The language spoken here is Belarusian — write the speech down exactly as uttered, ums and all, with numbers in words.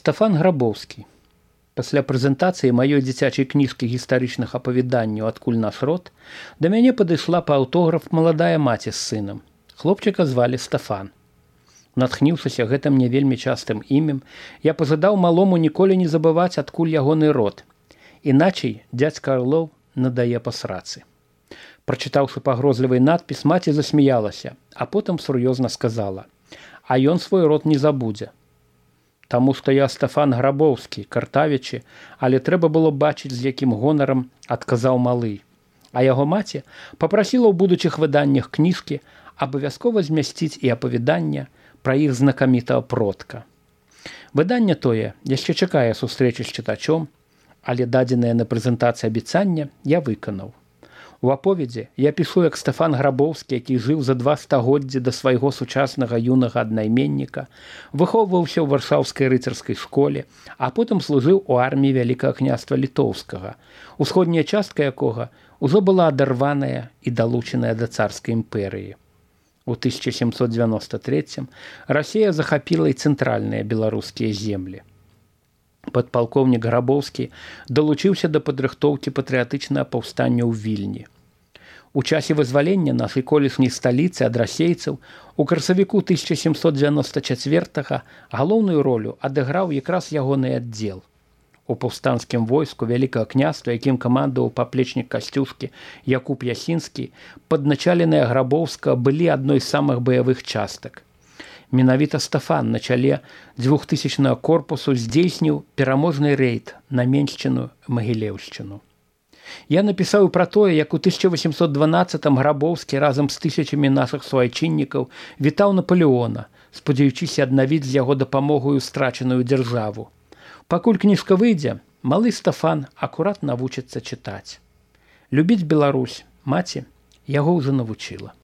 Стафан Грабоўскі. Пасля прэзентацыі маёй дзіцячай кніжкі гістарычных апавяданняў «Адкуль наш род» да мяне падышла па аўтограф маладая маці з сынам. Хлопчыка звалі Стафан. Натхніўшыся гэтым не вельмі частым імем, я пажадаў малому ніколі не забываць, адкуль ягоны род. Іначай дзядзька Арлоў надае па срацы. Прачытаўшы пагрозлівы надпіс, маці засмяялася, а потым сур'ёзна сказала: «А ён свой род не забудзе. Таму што я Стафан Грабоўскі, картавічы, але трэба было бачыць, з якім гонарам адказаў малы. А яго маці папрасіла ў будучых выданнях кніжкі абавязкова змясціць і апавяданне пра іх знакамітага продка. Выданне тое яшчэ чакае сустрэчы з чытачом, але дадзенае на прэзентацыі абяцання я выканаў. У аповедзе я пішу як Стафан Грабоўскі, які жыў за два стагоддзі да свайго сучаснага юнага аднайменніка, выхоўваўся ў варшаўскай рыцарскай школе, а потым служыў у арміі Вялікага княства Літоўскага, усходняя частка якога ўжо была адарваная і далучаная да царскай імперыі. У тысяча сямсот дзевяноста трэцім Расія захапіла і цэнтральныя беларускія землі. Падпалкоўнік Грабоўскі далучыўся да падрыхтоўкі патрыятычнага паўстання ў Вільні. У часе вызвалення нашай колішняй сталіцы ад расейцаў у красавіку тысяча сямсот дзевяноста чацвёртага галоўную ролю адыграў якраз ягоны аддзел. У паўстанцкім войску Вялікага княства, якім камандаваў паплечнік Касцюшкі Якуб Ясінскі, падначаленыя Грабоўскага былі адной з самых баявых частак. Менавіта Стафан на чале дзвюхтысячнага корпусу здзейсніў пераможны рэйд на Меншчыну, Магілеўшчыну. Я напісаў пра тое, як у тысяча васемсот дванаццатым Грабоўскі разам з тысячамі нашых суайчыннікаў вітаў Напалеона, спадзяючыся аднавіць з яго дапамогаю страчаную дзяржаву. Пакуль кніжка выйдзе, малы Стафан акурат навучыцца чытаць. Любіць Беларусь маці яго ўжо навучыла.